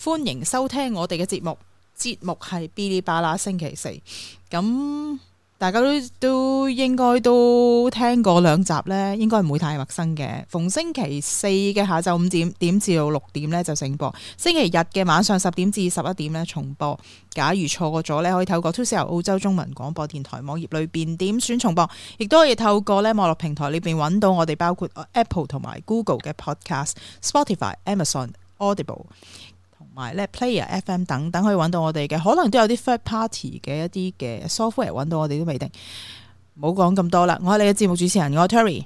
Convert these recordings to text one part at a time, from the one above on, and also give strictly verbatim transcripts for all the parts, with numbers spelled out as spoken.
歡迎收聽我哋嘅節目。節目係嗶哩吧啦星期四，咁大家都都應該都聽過兩集呢，應該唔會太陌生嘅。逢星期四嘅下晝五點點至到六點呢就正播，星期日嘅晚上十點至十一點呢重播。假如錯過咗呢，可以透過 two C R 澳洲中文廣播電台網頁裏邊點選重播，亦都可以透過呢網絡平台裏邊揾到我哋，包括 Apple 同埋 Google 嘅 Podcast、Spotify、Amazon、Audible。同埋咧 Player F M 等等可以揾到我哋嘅，可能都有啲 third party 嘅一啲嘅 software 揾到我哋都未定。唔好講咁多啦，我係你嘅節目主持人，我係 Terry，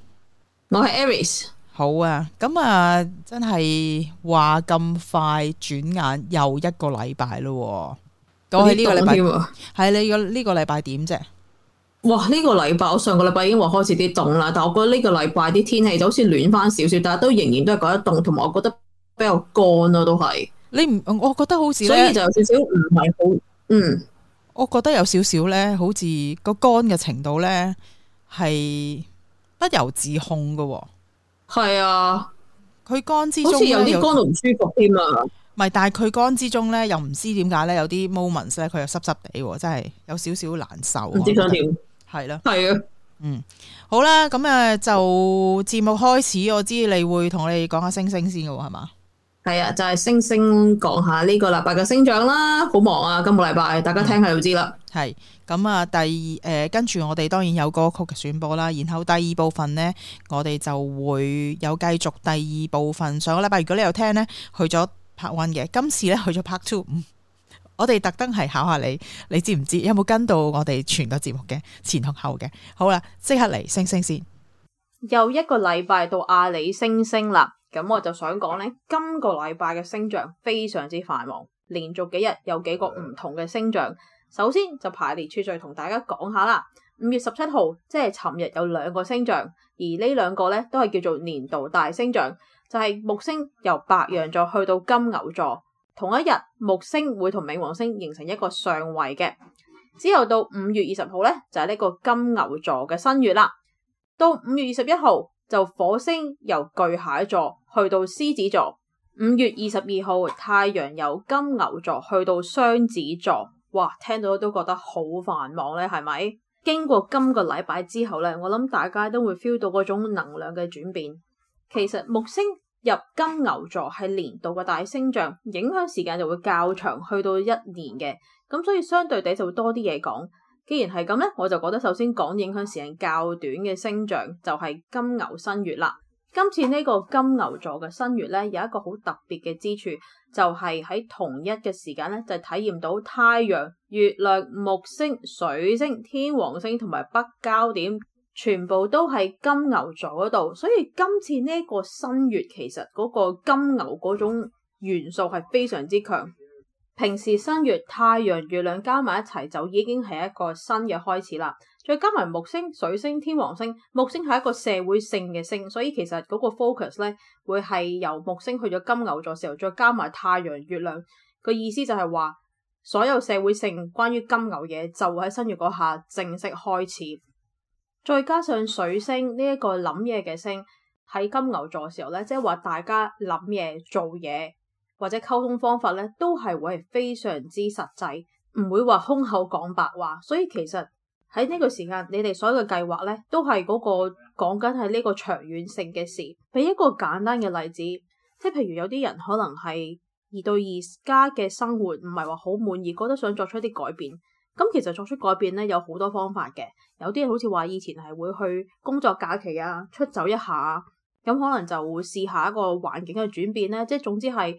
我係 Aries。好啊，咁啊真係話咁快轉眼又一個禮拜咯。講起呢個禮拜係你個呢個禮拜點啫？哇！呢、這個禮拜我上個禮拜已經話開始啲凍啦，但係我覺得呢個禮拜啲天氣就好似暖翻少少，但係都仍然都係覺得凍，同埋我覺得比較乾咯，都係。你唔，我覺得好似所以就有少少唔係好，嗯，我覺得有少少咧，好似個乾嘅程度咧係不由自控噶。係啊，佢乾之中好似有啲乾到唔舒服添啊。唔係，但係佢乾之中咧，又唔知點解咧，有啲 moments 咧，佢又濕濕地，真係有少少難受。唔知想點？係啦，係啊，嗯，好啦，咁誒就節目開始，我知你會同我哋講下星星先嘅喎，係嘛？係啊，就係、是、星星講下呢個禮拜嘅星象啦，好忙啊！今個禮拜大家聽下就知啦。係咁啊，第二誒跟住我哋當然有歌曲嘅選播啦，然後第二部分呢，我哋就會有繼續第二部分。上個禮拜如果你有聽呢，去咗 part one 嘅，今次呢去咗 part two。我哋特登係考下你，你知唔知有冇跟到我哋全個節目嘅前同後嘅？好啦，即刻嚟星星先。又一個禮拜到阿里星星啦。咁我就想講呢，今個禮拜嘅星象非常之繁忙，連續幾日有幾個唔同嘅星象。首先就排列次序同大家講下啦。五月十七號即係尋日有兩個星象，而呢兩個呢都係叫做年度大星象，就係、是、木星由白羊座去到金牛座。同一日木星會同冥王星形成一個相位嘅。之後到五月二十號呢，就係、是、呢個金牛座嘅新月啦。到五月二十一號就火星由巨蟹座去到獅子座。五月二十二號太陽由金牛座去到雙子座。哇，聽到都覺得好繁忙咧，係咪？經過今個禮拜之後咧，我諗大家都會 feel 到嗰種能量嘅轉變。其實木星入金牛座係年度嘅大星象，影響時間就會較長，去到一年嘅。咁所以相對地就會多啲嘢講。既然係咁咧，我就覺得首先講影響時間較短嘅星象就係金牛新月啦。今次呢個金牛座嘅新月咧，有一個好特別嘅之處，就係喺同一嘅時間咧，就體驗到太陽、月亮、木星、水星、天王星同埋北交點全部都喺金牛座嗰度，所以今次呢個新月其實嗰個金牛嗰種元素係非常之強。平時新月太陽、月亮加埋一齊就已經係一個新嘅開始啦，再加埋木星、水星、天王星，木星係一個社會性嘅星，所以其實嗰個 focus 咧會係由木星去咗金牛座時候，再加埋太陽、月亮，個意思就係話所有社會性關於金牛嘢就會喺新月嗰下正式開始。再加上水星呢一個諗嘢嘅星喺金牛座時候咧，即係話大家諗嘢、做嘢或者溝通方法咧，都係會係非常之實際，唔會話空口講白話。所以其實喺呢個時間，你哋所有嘅計劃咧，都係嗰個講緊係呢個長遠性嘅事。俾一個簡單嘅例子，即係譬如有啲人可能係而對而家嘅生活唔係話好滿意，覺得想作出一啲改變。咁其實作出改變咧有好多方法嘅，有啲人好似話以前係會去工作假期啊，出走一下，咁可能就會試下一個環境嘅轉變咧，即係總之係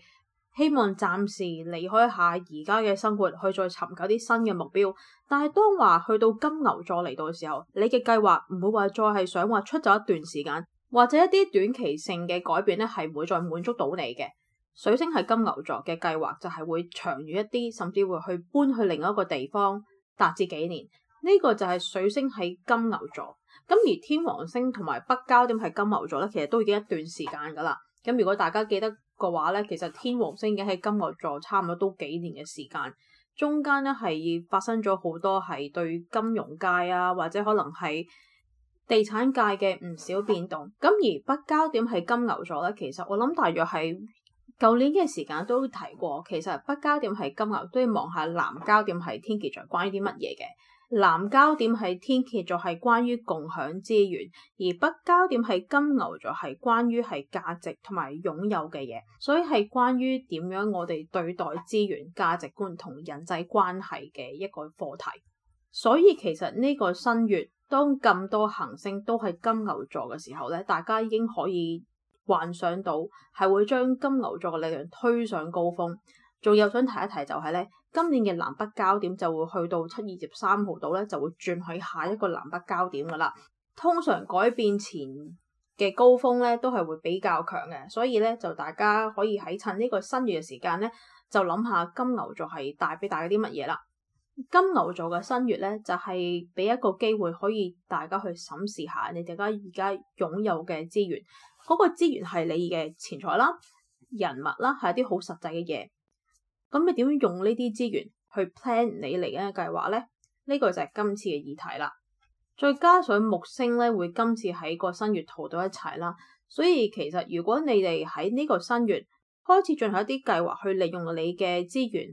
希望暫時離開下而家嘅生活，去再尋求啲新嘅目標。但係當話去到金牛座嚟到嘅時候，你嘅計劃唔會話再係想話出走一段時間，或者一啲短期性嘅改變咧，係唔會再滿足到你嘅。水星係金牛座嘅計劃就係會長遠一啲，甚至會去搬去另一個地方達至幾年。呢、這個就係水星喺金牛座。咁而天王星同埋北交點係金牛座咧，其實都已經一段時間噶啦。咁如果大家記得嘅話咧，其實天王星已經喺金牛座差唔多都幾年嘅時間，中間咧係發生咗好多係對金融界啊，或者可能係地產界嘅唔少變動。咁而北交點係金牛座咧，其實我諗大約係舊年嘅時間都提過，其實北交點係金牛都要望下南交點係天蠍座關於啲乜嘢嘅。南交點係天蠍座係關於共享資源，而北交點係金牛座係關於係價值同埋擁有嘅嘢，所以係關於點樣我哋對待資源、價值觀同人際關係嘅一個課題。所以其實呢個新月當咁多行星都係金牛座嘅時候咧，大家已經可以幻想到係會將金牛座嘅力量推上高峰。仲有想提一提就係咧，今年嘅南北交點就會去到七月二十三號度咧，就會轉去下一個南北交點噶啦。通常改變前嘅高峰咧都係會比較強嘅，所以咧就大家可以喺趁呢個新月嘅時間咧，就諗下金牛座係帶俾大家啲乜嘢啦。金牛座嘅新月咧就係、是、俾一個機會可以大家去審視下你哋而家而家擁有嘅資源，嗰、那個資源係你嘅錢財啦、人物啦，係一啲好實際嘅嘢。咁你點樣用呢啲資源去 plan 你嚟緊嘅計劃呢？呢、呢個就係今次嘅議題啦。再加上木星咧會今次喺個新月圖到一齊啦，所以其實如果你哋喺呢個新月開始進行一啲計劃去利用你嘅資源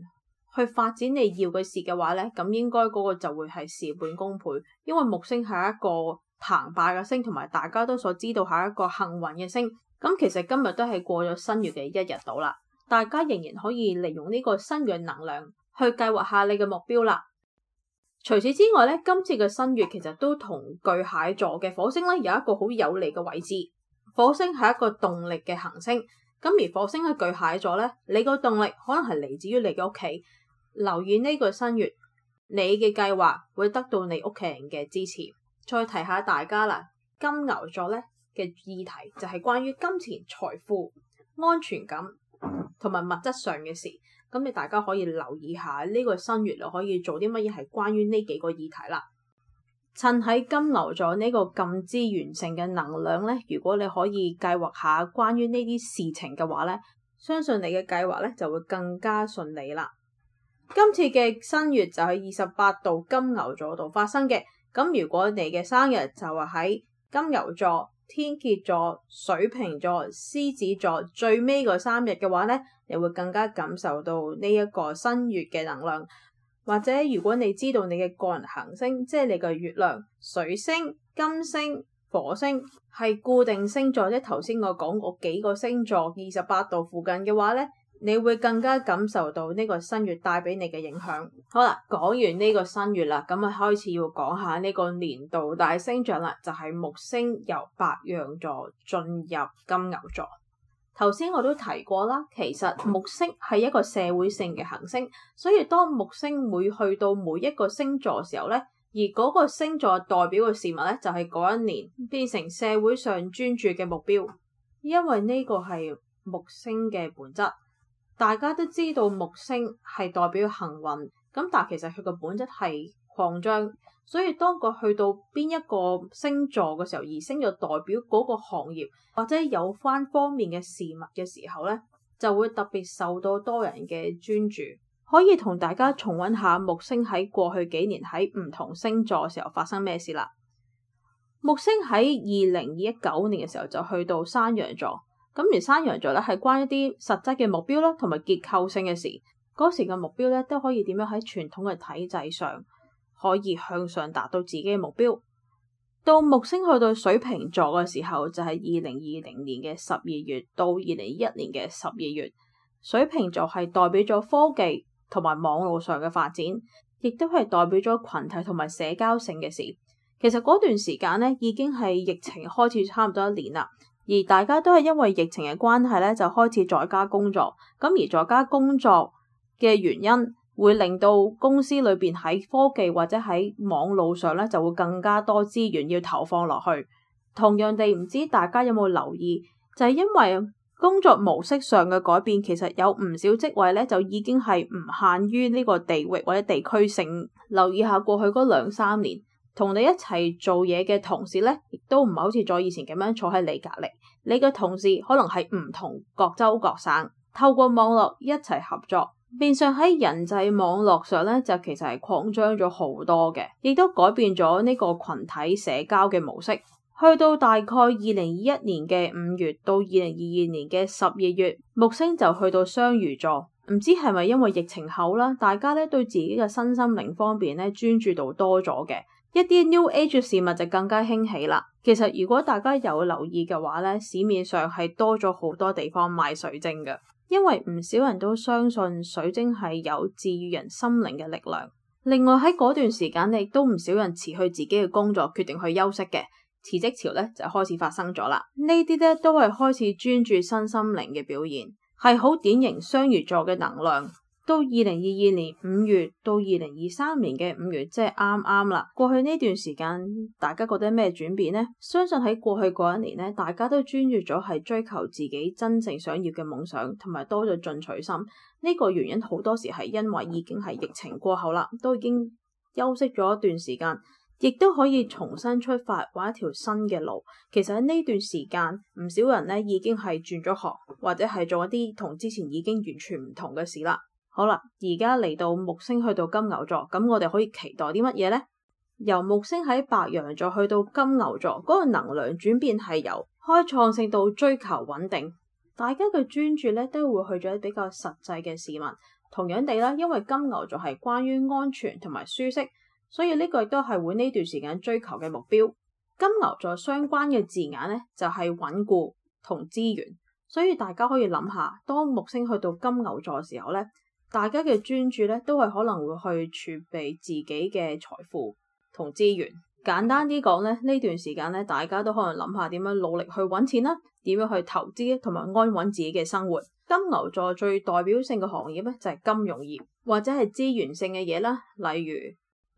去發展你要嘅事嘅話咧，咁應該嗰個就會係事半功倍，因為木星係一個澎湃嘅星，同埋大家都所知道係一個幸運嘅星。咁其實今日都係過咗新月嘅一日到啦。大家仍然可以利用呢個新月能量去計劃下你嘅目標啦。除此之外咧，今次嘅新月其實都同巨蟹座嘅火星咧有一個好有利嘅位置。火星係一個動力嘅行星，咁而火星喺巨蟹座咧，你個動力可能係嚟自於你嘅屋企。留意呢個新月，你嘅計劃會得到你屋企人嘅支持。再提下大家啦，金牛座咧嘅議題就係關於金錢、財富、安全感同埋物質上嘅事，咁你大家可以留意下呢個新月，就可以做啲乜嘢係關於呢幾個議題啦。趁喺金牛座呢個咁資源性嘅能量咧，如果你可以計劃下關於呢啲事情嘅話咧，相信你嘅計劃咧就會更加順利啦。今次嘅新月就喺二十八度金牛座度發生嘅，咁如果你嘅生日就係喺金牛座、天蠍座、水瓶座、獅子座最尾嗰三日嘅話咧，你會更加感受到呢一個新月嘅能量。或者如果你知道你嘅個人行星，即係你嘅月亮、水星、金星、火星係固定星座，即係頭先我講過幾個星座二十八度附近嘅話咧，你會更加感受到呢個新月帶俾你嘅影響。好啦，講完呢個新月啦，咁啊開始要講下呢個年度大星象啦，就係、是、木星由白羊座進入金牛座。頭先我都提過啦，其實木星係一個社會性嘅行星，所以當木星每去到每一個星座嘅時候咧，而嗰個星座代表嘅事物咧，就係、是、嗰一年變成社會上專注嘅目標，因為呢個係木星嘅本質。大家都知道木星係代表幸運，咁但係其實佢個本質係擴張，所以當佢去到邊一個星座嘅時候，而星座代表嗰個行業或者有關方面嘅事物嘅時候咧，就會特別受到多人嘅專注。可以同大家重溫下木星喺過去幾年喺唔同星座嘅時候發生咩事啦。木星喺二零一九年嘅時候就去到山羊座。咁而山羊座咧係關一啲實質嘅目標啦，同埋結構性嘅事。嗰時嘅目標咧都可以點樣喺傳統嘅體制上可以向上達到自己嘅目標。到木星去到水瓶座嘅時候，就係二零二零年嘅十二月到二零二一年嘅十二月。水瓶座係代表咗科技同埋網絡上嘅發展，亦都係代表咗群體同埋社交性嘅事。其實嗰段時間咧已經係疫情開始差唔多一年啦。而大家都係因為疫情嘅關係咧，就開始在家工作。咁而在家工作嘅原因，會令到公司裏邊喺科技或者喺網路上咧，就會更加多資源要投放落去。同樣地，唔知大家有冇留意，就係因為工作模式上嘅改變，其實有唔少職位咧，就已經係唔限於呢個地域或者地區性。留意下過去嗰兩三年，同你一齊做嘢嘅同事咧，亦都唔係好似再以前咁樣坐喺你隔籬。你嘅同事可能係唔同各州各省，透過網絡一齊合作，變相喺人際網絡上咧，就其實係擴張咗好多嘅，亦都改變咗呢個群體社交嘅模式。去到大概二零二一年嘅五月到二零二二年嘅十二月，木星就去到雙魚座。唔知係咪因為疫情後啦，大家咧對自己嘅身心靈方面咧專注度多咗嘅，一啲 New Age 嘅事物就更加興起啦。其實如果大家有留意嘅話咧，市面上係多咗好多地方賣水晶嘅，因為唔少人都相信水晶係有治癒人心靈嘅力量。另外喺嗰段時間亦都唔少人辭去自己嘅工作，決定去休息嘅。辭職潮咧就開始發生咗啦，呢啲咧都係開始專注身心靈嘅表現，係好典型雙魚座嘅能量。到二零二二年五月到二零二三年嘅五月，即係啱啱啦。過去呢段時間，大家覺得咩轉變呢？相信喺過去嗰一年咧，大家都專注咗係追求自己真正想要嘅夢想，同埋多咗進取心。呢個原因好多時係因為已經係疫情過後啦，都已經休息咗一段時間。亦都可以重新出發，揾一條新嘅路。其實喺呢段時間，唔少人咧已經係轉咗行，或者係做一啲同之前已經完全唔同嘅事啦。好啦，而家嚟到木星去到金牛座，咁我哋可以期待啲乜嘢呢？由木星喺白羊座去到金牛座，嗰個能量轉變係由開創性到追求穩定。大家嘅專注咧都會去咗比較實際嘅事物。同樣地啦，因為金牛座係關於安全同埋舒適。所以呢個亦都係會呢段時間追求嘅目標。金牛座相關嘅字眼呢，就係穩固同資源，所以大家可以諗下，當木星去到金牛座嘅時候呢，大家嘅專注呢都係可能會去儲備自己嘅財富同資源。簡單啲講呢，呢段時間呢，大家都可能諗下點樣努力去揾錢啦，點樣去投資同埋安穩自己嘅生活。金牛座最代表性嘅行業呢，就係金融業或者係資源性嘅嘢啦，例如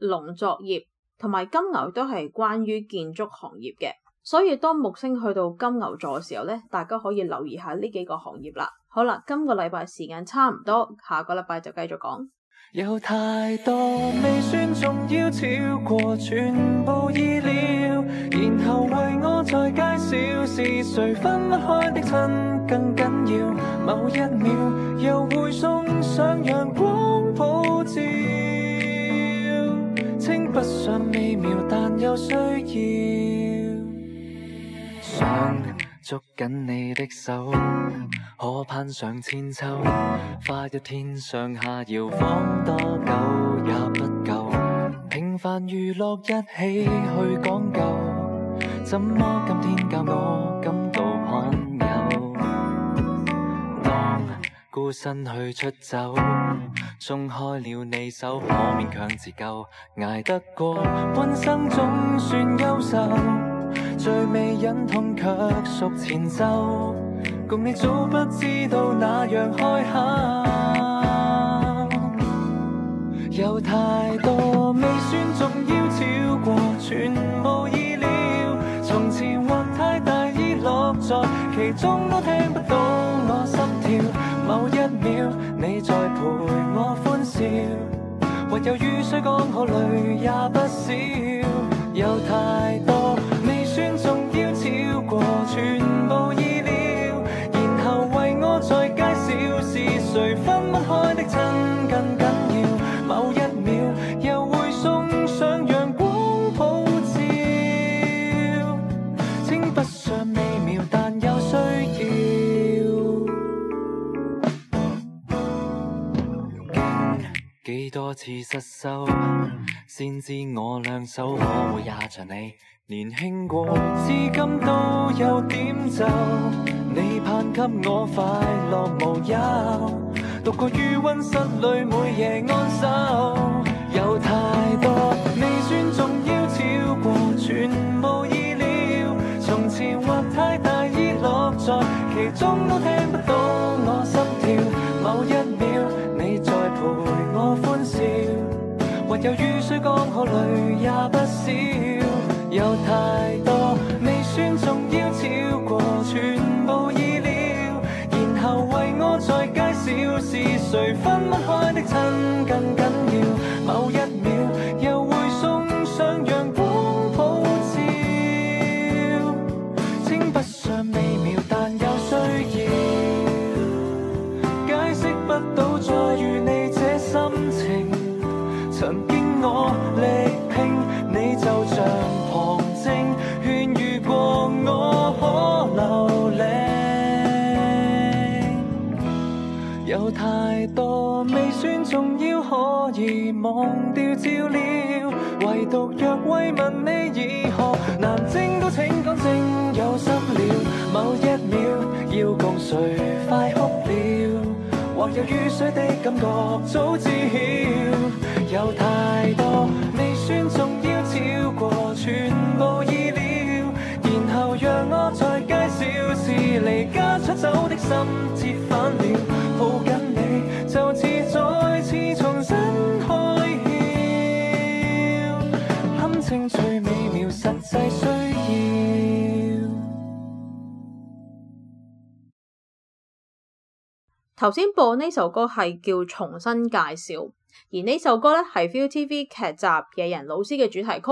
農作業同埋金牛都係關於建築行業嘅，所以當木星去到金牛座嘅時候咧，大家可以留意下呢幾個行業啦。好啦，今個禮拜時間差唔多，下個禮拜就繼續講。有太多未算重要，超過全部意料，然後為我再介紹是誰分不開的親更緊要，某一秒又會送上陽光普照，稱不上美妙，但有需要。想捉緊你的手，可攀上千秋，花一天上下搖晃多久也不夠。平凡娛樂一起去講究，怎麼今天教我感到罕有？當孤身去出走，鬆開了你手，可勉強自救，捱得過半生總算優秀，最未忍痛卻屬前奏，共你早不知道那樣開口。有太多未算重要，超過全部意料，從前或太大意落在其中，都聽不到我心跳。某一秒你在陪我歡笑，或有雨水剛好淚也不少。有太多未算重要，超過全部意料，然後為我再介紹是誰分不開的親更緊要。某一秒又會送上陽光普照，稱不上美妙，但有需要。幾多次失手，先知我兩手可會也像你年輕過，至今都有點皺。你盼給我快樂無憂，獨個於溫室裏每夜安守。有太多未算重要，超過全部意料，從前或太大意落在其中，都聽不到我心跳。某一秒你在陪我歡笑，或有雨水剛好淚也不少。有太多未算重要，超過全部意料，然後為我再介紹是誰分不開的親更緊要。某一秒又會送上陽光普照，稱不上美妙，但有需要。解釋不到再遇你這心情，曾經我力拼，你就像旁證，勸喻過有太多未算重要，可以忘掉照料，唯獨若慰問你以後難證到請講正有心了，某一秒要共誰快哭了，或有雨水的感覺早知曉，有太多未算重要超過全部意料，然後讓我再介紹是離家出走的心折返了，抱緊你就似再次重新開竅，堪稱最美妙實際需要。頭先播呢首歌係叫重新介紹，而呢首歌咧係 Viu T V 劇集野人老師嘅主題曲，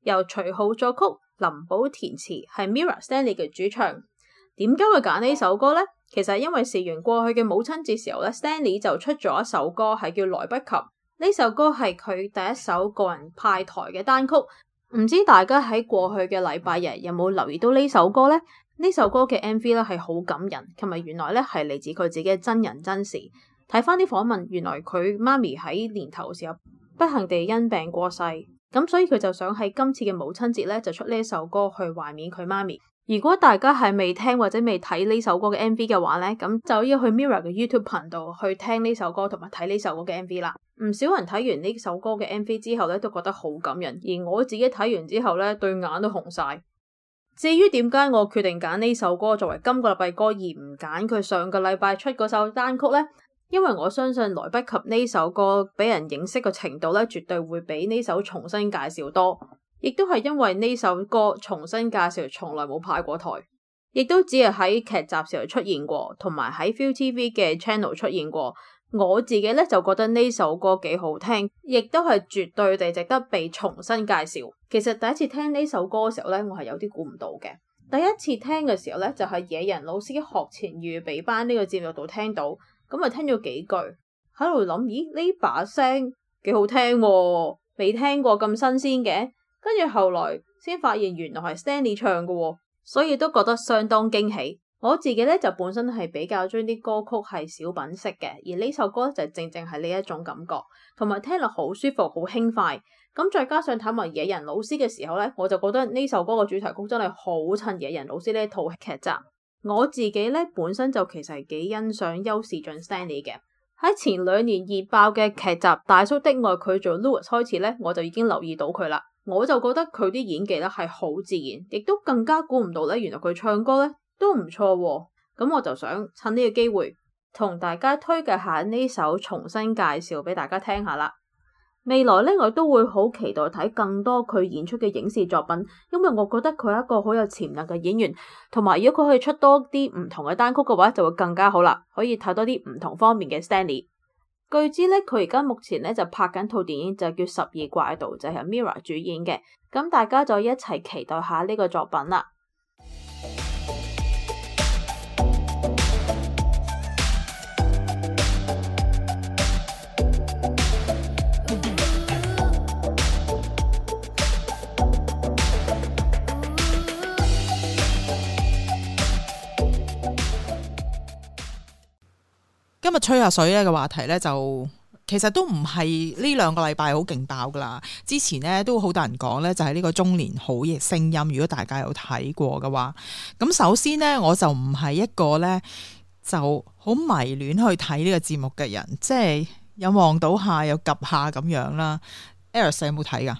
由徐浩作曲，林寶填詞，係 Mirror Stanley 嘅主唱。點解會揀呢首歌呢？其實因為事緣過去嘅母親節時候咧 ，Stanley 就出咗一首歌係叫來不及。呢首歌係佢第一首個人派台嘅單曲。唔知大家喺過去嘅禮拜日有冇留意到呢首歌呢？呢首歌嘅 M V 咧係好感人，同埋原來咧係嚟自佢自己嘅真人真事。睇翻啲訪問，原來佢媽咪喺年頭嘅時候不幸地因病過世，咁所以佢就想喺今次嘅母親節咧就出呢一首歌去懷緬佢媽咪。如果大家係未聽或者未睇呢首歌嘅 M V 嘅話咧，咁就要去 Mirror 嘅 YouTube 頻道去聽呢首歌同埋睇呢首歌嘅 M V 啦。唔少人睇完呢首歌嘅 M V 之後咧都覺得好感人，而我自己睇完之後咧對眼都紅晒。至於點解我決定揀呢首歌作為今個禮拜歌而唔揀佢上個禮拜出嗰首單曲呢？因為我相信來不及呢首歌俾人認識嘅程度咧，絕對會比呢首重新介紹多。亦都係因為呢首歌重新介紹從來冇派過台，亦都只係喺劇集時候出現過，同埋喺 V iu T V 嘅 channel 出現過。我自己咧就覺得呢首歌幾好聽，亦都係絕對地值得被重新介紹。其實第一次聽呢首歌嘅時候咧，我係有啲估唔到嘅。第一次聽嘅時候咧，就係野人老師學前預備班呢個節目度聽到，咁啊聽咗幾句，喺度諗，咦呢把聲幾好聽喎，未聽過咁新鮮嘅。跟住後來先發現原來係 Stanley 唱嘅，所以都覺得相當驚喜。我自己咧就本身係比較將啲歌曲係小品式嘅，而呢首歌就正正係呢一種感覺，同埋聽落好舒服、好輕快。咁再加上睇埋野人老師嘅時候咧，我就覺得呢首歌嘅主題曲真係好襯野人老師呢一套劇集。我自己咧本身就其實係幾欣賞邱士俊 Stanley 嘅。喺前兩年熱爆嘅劇集《大叔的愛》佢做 Louis 開始咧，我就已經留意到佢啦。我就覺得佢啲演技咧係好自然，亦都更加估唔到咧，原來佢唱歌咧都唔錯喎。咁我就想趁呢個機會同大家推介下呢首重新介紹俾大家聽下啦。未來咧我都會好期待睇更多佢演出嘅影視作品，因為我覺得佢係一個好有潛能嘅演員，同埋如果佢可以出多啲唔同嘅單曲嘅話，就會更加好啦，可以睇多啲唔同方面嘅 Stanley。據知咧，佢而家目前咧就拍緊套電影，就叫《十二怪盜》，就係 Mirror 主演嘅。咁大家就一齊期待下呢個作品啦。今日吹下水咧嘅話題咧，就其實都唔係呢兩個禮拜好勁爆噶啦。之前咧都好多人講咧，就係呢個中年好嘅聲音。如果大家有睇過嘅話，咁首先咧我就唔係一個咧就好迷戀去睇呢個節目嘅人，即係有望到下有及下咁樣啦。Eris 有冇睇噶？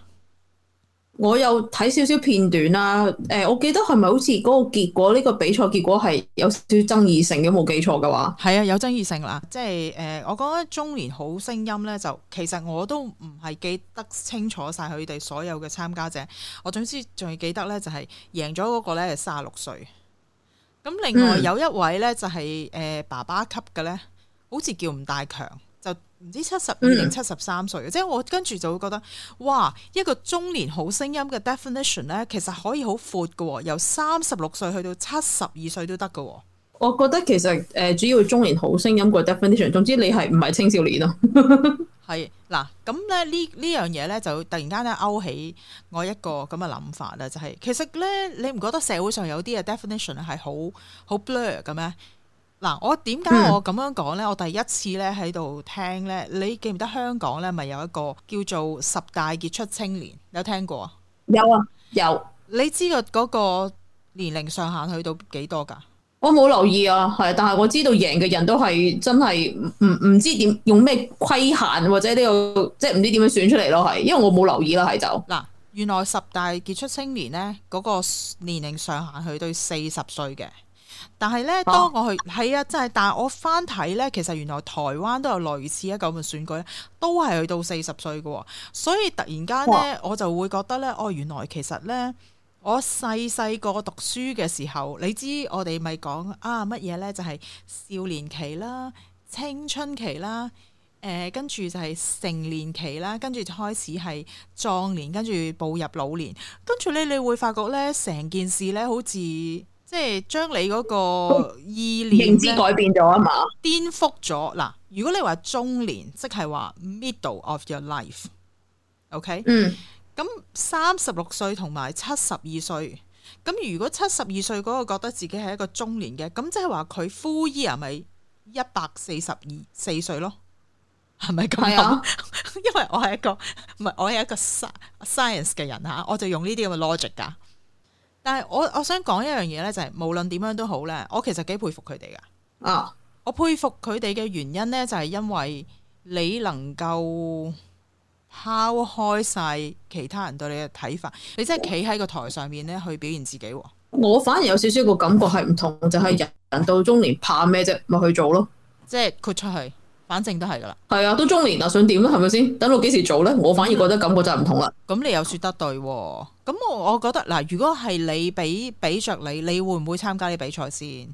我有睇少少片段啦，誒、呃，我記得係咪好似嗰個結果呢、呢個比賽結果係有少少爭議性嘅，冇記錯嘅話。係啊，有爭議性啦，即係誒、呃，我覺得中年好聲音咧，就其實我都唔係記得清楚晒佢哋所有嘅參加者，我總之仲要記得咧就係贏咗嗰個咧係三十六歲，咁另外有一位咧就係、是、誒、呃、爸爸級嘅咧，好似叫吳大強。就唔知七十二定七十三歲嘅，即係我跟住就會覺得，哇！一個中年好聲音嘅 definition 咧，其實可以好闊嘅，由三十六歲去到七十二歲都得嘅。我覺得其實誒、呃，主要中年好聲音個 definition，總之你係唔係青少年咯？係嗱，咁咧呢呢樣嘢咧就突然間咧勾起我一個咁嘅諗法啦，就係、是、其實咧你唔覺得社會上有啲嘅 definition 係好好 blur 嘅咩？嗱，我點解我咁樣講咧？我第一次咧喺度聽咧，你記唔記得香港咧咪有一個叫做十大傑出青年？有聽過啊？有啊，有。你知個嗰個年齡上限去到幾多㗎？我冇留意啊，係，但係我知道贏嘅人都係真係唔唔知點用咩規限或者呢、這個即係唔知點樣選出嚟咯，係，因為我冇留意啦，係就嗱，原來十大傑出青年咧嗰、那個年齡上限去到四十歲嘅。但係咧，當我去係啊，真係，但係我翻睇咧，其實原來台灣都有類似一個咁嘅選舉咧，都係去到四十歲嘅，所以突然間咧，我就會覺得咧，哦，原來其實咧，我細細個讀書嘅時候，你知我哋咪講啊乜嘢咧，就係少年期啦、青春期啦，誒、呃，跟住就係成年期啦，跟住就開始係壯年，跟住步入老年，跟住咧，你會發覺咧，成件事咧，好似〜即係將你嗰個意念認知改變咗啊嘛，顛覆咗嗱。如果你話中年，即係話 middle of your life，OK？、Okay? 嗯，咁三十六歲同埋七十二歲，咁如果七十二歲嗰個覺得自己係一個中年嘅，咁即係話佢 full year 咪一百四十二四歲咯？係咪咁諗？啊、因為我係一個唔係我係一個 science 嘅人嚇，我就用呢啲咁嘅 logic 㗎。但係我我想講一樣嘢咧，就係無論點樣都好咧，我其實幾佩服佢哋噶。啊，我佩服佢哋嘅原因咧，就係因為你能夠拋開晒其他人對你嘅睇法，你真係企喺個台上面咧去表現自己。我反而有少少個感覺係唔同，就係、是、人到中年怕咩啫，咪去做咯，即係豁出去。反正都係噶啦，係啊，都中年啦，想點咧？係咪先？等到幾時做咧？我反而覺得感覺就係唔同啦。咁、嗯、你又說得對，咁我我覺得嗱，如果係你俾俾着你，你會唔會參加呢比賽先？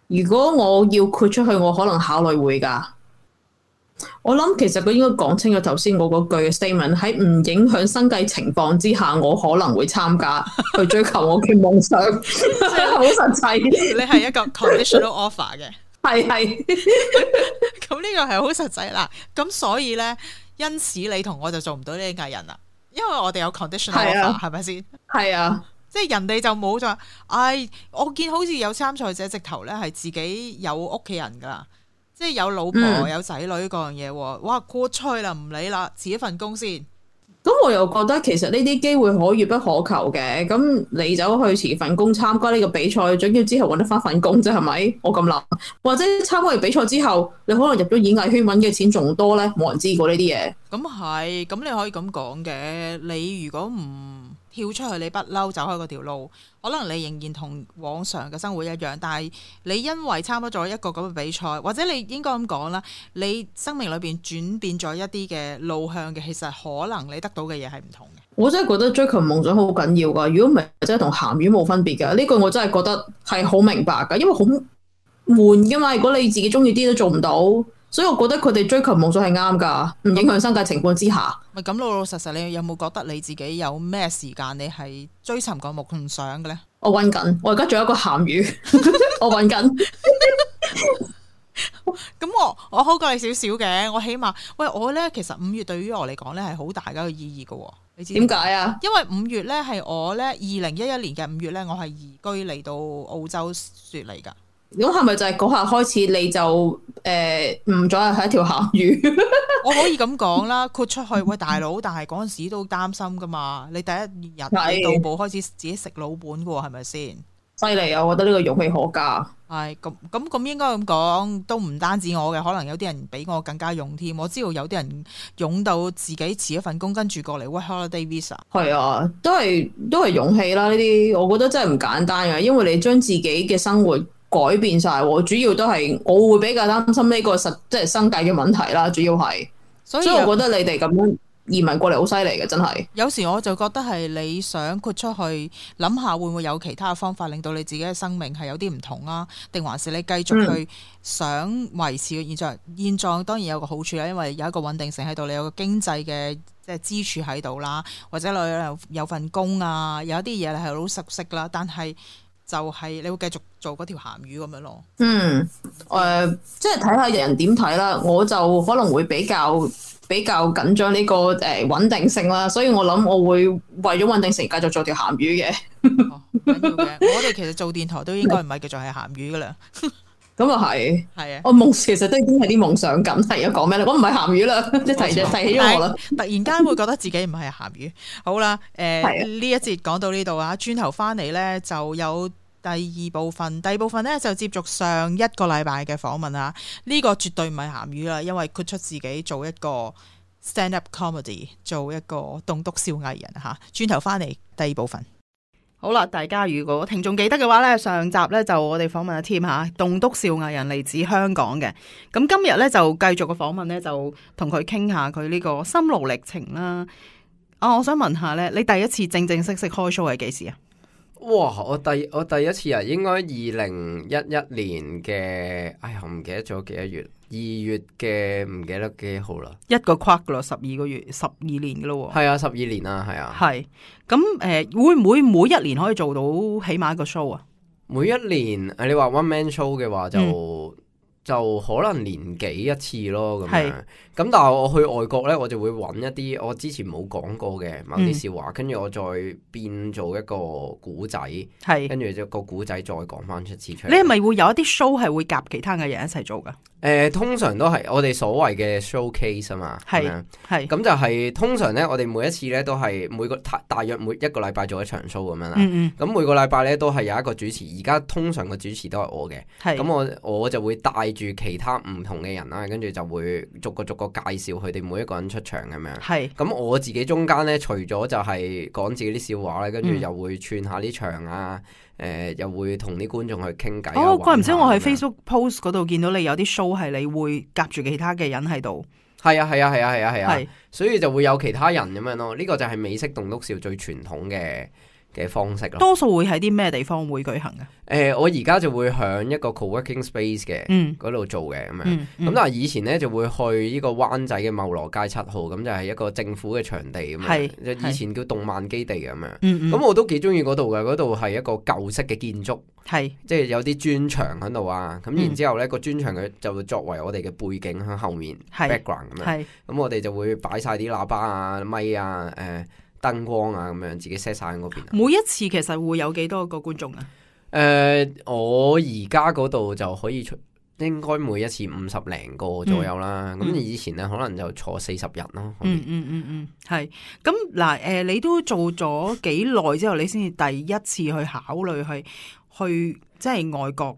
如果我要豁出去，我可能考慮會噶。我諗其實佢應該講清楚頭先我嗰句嘅 statement， 喺唔影響生計情況之下，我可能會參加去追求我嘅夢想，即係好實際。你係一個 conditional offer 嘅。係係，咁呢個係好實際啦。咁所以咧，因此你同我就做唔到呢啲藝人啦，因為我哋有 conditional offer，係咪先？係啊，即係人哋就冇咗。唉，我見好似有參賽者直頭咧係自己有屋企人噶啦，即係有老婆、嗯、有仔女嗰樣嘢。哇，豁出去啦，唔理啦，辭一份工先。咁我又覺得其實呢啲機會可遇不可求嘅，咁你走去辭份工參加呢個比賽，總要之後揾得翻份工啫，係咪？我咁諗，或者參加完比賽之後，你可能入咗演藝圈揾嘅錢仲多咧，冇人知過呢啲嘢。咁係，咁你可以咁講嘅。你如果唔跳出去，你不嬲走開嗰條路，可能你仍然同往常嘅生活一樣，但係你因為參加咗一個咁嘅比賽，或者你應該咁講啦，你生命裏邊轉變咗一啲嘅路向嘅，其實可能你得到嘅嘢係唔同嘅。我真係覺得追求夢想好緊要噶，如果唔係真係同鹹魚冇分別噶。呢句我真係覺得係好明白噶，因為好悶噶嘛。如果你自己中意啲都做唔到，所以我覺得佢哋追求夢想係啱噶，唔影響生計情況之下。咪咁老老實實，你有冇覺得你自己有咩時間你係追尋個夢想嘅咧？我搵緊，我而家仲有一個鹹魚，我搵緊。咁我我好過你少少嘅，我起碼喂我咧，其實五月對於我嚟講咧係好大嘅一個意義嘅。你知點解啊？因為五月咧係我咧二零一一年嘅五月咧，我係移居嚟到澳洲雪梨噶。咁係咪就係嗰下開始你就誒唔再係一條鹹魚？我可以咁講啦，豁出去喂大佬，但係嗰陣時都擔心噶嘛。你第一日你到步開始自己食老本噶喎，係咪先？犀利啊！我覺得呢個勇氣可嘉。係咁咁咁應該咁講，都唔單止我嘅，可能有啲人比我更加勇添。我知道有啲人勇到自己辭一份工，跟住過嚟 work holiday visa。係啊，都係都係勇氣啦。呢啲我覺得真係唔簡單嘅，因為你將自己嘅生活改變晒，主要都係我會比較擔心呢個實即係生計嘅問題啦。主要係，所以我覺得你哋咁樣移民過嚟好犀利嘅，真係。有時我就覺得係你想豁出去諗下，會唔會有其他嘅方法令到你自己嘅生命係有啲唔同啊？定還是你繼續去想維持嘅現狀？嗯、現狀當然有個好處啦，因為有一個穩定性喺度，你有個經濟嘅即係支柱喺度啦，或者你有有份工啊，有一啲嘢你係好熟悉啦，但係。就係你會繼續做嗰條鹹魚咁樣咯。嗯，誒、呃，即係睇下人點睇啦。我就可能會比較比較緊張呢個誒穩定性啦，所以我諗我會為咗穩定性繼續做條鹹魚嘅。哦，緊要嘅。我哋其實做電台都應該唔係叫做係鹹魚噶啦。咁啊係，係啊。我夢其實都已經係啲夢想感。係而家講咩咧？我唔係鹹魚啦，即係提提起咗我啦。突然間會覺得自己唔係鹹魚。好啦，誒、係啊呢一節講到呢度啊，轉頭翻嚟咧就有第二部分。第二部分咧就接續上一個禮拜嘅訪問啊。呢、個絕對唔係鹹魚啦，因為豁出自己做一個 stand up comedy，做一個棟篤笑藝人嚇。轉頭翻嚟第二部分。好啦，大家如果聽眾記得嘅話咧，上集咧就我哋訪問阿 Tim 嚇，棟篤笑藝人嚟自香港嘅。咁今日咧就繼續個訪問咧，就同佢傾下佢呢個心路歷程啦。啊，我想問下咧，你第一次正正式式開 show 係幾時啊？哇！我第我第一次啊，應該二零一一年嘅，哎呀，我唔記得咗幾多月，二月嘅唔記得幾號啦。一個 quarter 噶咯，十二個月，十二年噶咯喎。係啊，十二年啊，係啊。係咁誒，會唔會每一年可以做到起碼一個 show 啊？每一年誒，你話 one man show 嘅話就、嗯、就可能年幾一次咯咁係樣。咁但係我去外國咧，我就會揾一啲我之前冇講過嘅某啲笑話，跟住、嗯、我再變做一個古仔，係跟住就個古仔再講翻出次出嚟。你係咪會有一啲 show 係會夾其他嘅人一齊做噶？誒、呃，通常都係我哋所謂嘅 showcase 啊嘛，係係咁就係、是、通常咧，我哋每一次咧都係每個大大約每一個禮拜做一場 show 咁樣啦。咁、嗯嗯、每個禮拜咧都係有一個主持，而家通常個主持都係我嘅。咁我我就會帶住其他唔同嘅人啦，跟住就會逐個逐個介紹佢哋每一個人出場咁樣。係咁我自己中間咧，除咗就係講自己啲笑話咧，跟住又會串下啲場啊。誒、呃，又會同啲觀眾去傾偈。哦，怪唔知我喺 Facebook post 嗰度見到你有啲 show 係你會夾住其他嘅人喺度。係啊，係啊，係啊，係啊，係啊，啊，所以就會有其他人咁樣咯。呢、這個就係美式棟篤笑最傳統嘅嘅方式咯。多數會喺啲咩地方會舉行嘅？誒、呃，我而家就會響一個 co-working space 嘅嗰度做嘅咁樣。咁、嗯嗯、但係以前咧就會去呢個灣仔嘅茂羅街七號，咁就係一個政府嘅場地咁樣。以前叫動漫基地咁樣。咁、嗯嗯、我都幾中意嗰度嘅，嗰度係一個舊式嘅建築。係，即係有啲磚牆喺度啊，咁然之後咧個磚牆佢就會作為我哋嘅背景喺後面 background 咁樣，咁我哋就會擺晒啲喇叭啊、咪啊、誒、呃、燈光啊咁樣，自己 set 晒喺嗰邊。每一次其實會有幾多個觀眾啊？誒、呃，我而家嗰度就可以出，應該每一次五十零個左右啦。咁、嗯、以前咧可能就坐四十人咯。嗯嗯嗯嗯，係。咁嗱，誒、呃，你都做咗幾耐之後，你先至第一次去考慮去。去即係外國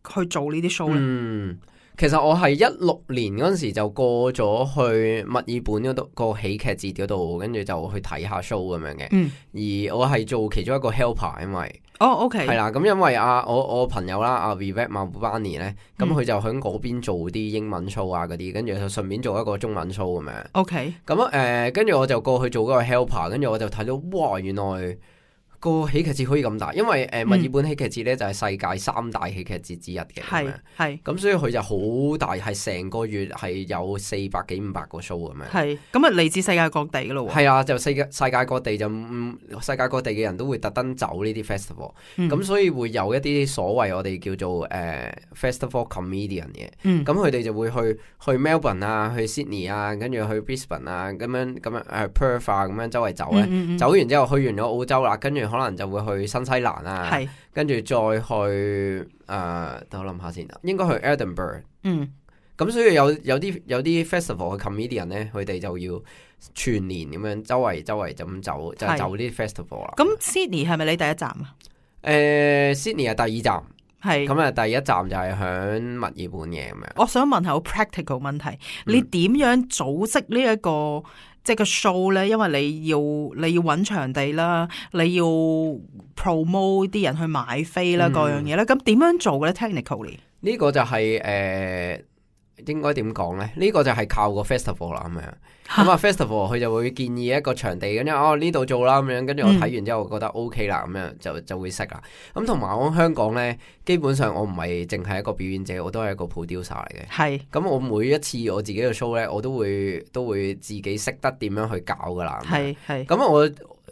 去做呢啲 show 咧。嗯，其實我係一六年嗰陣時就過咗去墨爾本嗰度個喜劇節嗰度，跟住就去睇下 show 咁樣嘅。嗯，而我係做其中一個 helper，因為哦 OK 係啦，咁因為啊我我朋友啦阿 Vivek Mahbubani 咧，咁佢就喺嗰邊做啲英文 show 啊嗰啲，跟住就順便做一個中文 show 咁樣。OK，咁誒跟住我就過去做嗰個 helper，跟住我就睇到哇原來。個喜劇節可以咁大，因為誒墨爾本喜劇節咧就係世界三大喜劇節之一嘅，係係咁，所以佢就好大，係成個月係有四百幾五百個 show 咁樣。係咁啊，嚟自世界各地噶咯喎。係啊，就世界世界各地就、嗯、世界各地嘅人都會特登走呢啲 festival，咁、嗯、所以會有一啲所謂我哋叫做誒、呃、festival comedian 嘅，咁佢哋就會去去 Melbourne 啊，去 Sydney 啊，跟住去 Brisbane 啊，咁樣咁樣誒 Perth 啊，咁樣周圍走咧、嗯嗯，走完之後去完咗澳洲啦，跟住。可能就會去新西蘭啊，跟住再去誒，等、呃、我諗下先，應該去 Edinburgh。嗯，咁所以有有啲有啲 festival 嘅 comedian 咧，佢哋就要全年咁樣周圍周圍就咁走，就走啲 festival 啦。咁 Sydney 係咪你第一站啊？誒、呃、Sydney 係第二站，係咁啊，第一站就係響墨爾本嘅咁樣。我想問下好 practical 問題，你點樣組織呢、這、一個？即係個 show 咧，因為你要你要揾場地啦，你要 promote 啲人去買飛啦，各、嗯、樣嘢咧，咁點樣做嘅咧 ？Technically 呢個就係、是、誒、呃，應該點講咧？呢、這個就係靠個 festival 啦，咁樣咁啊 festival 佢就會建議一個場地，跟住哦呢度做啦，咁樣跟住我睇完之後我覺得 OK 啦，咁樣就就會識啦。咁同埋我香港咧，基本上我唔係淨係一個表演者，我都係一個 producer 嚟嘅。係咁，我每一次我自己嘅 show 咧，我都會都會自己識得點樣去搞噶啦。係係咁我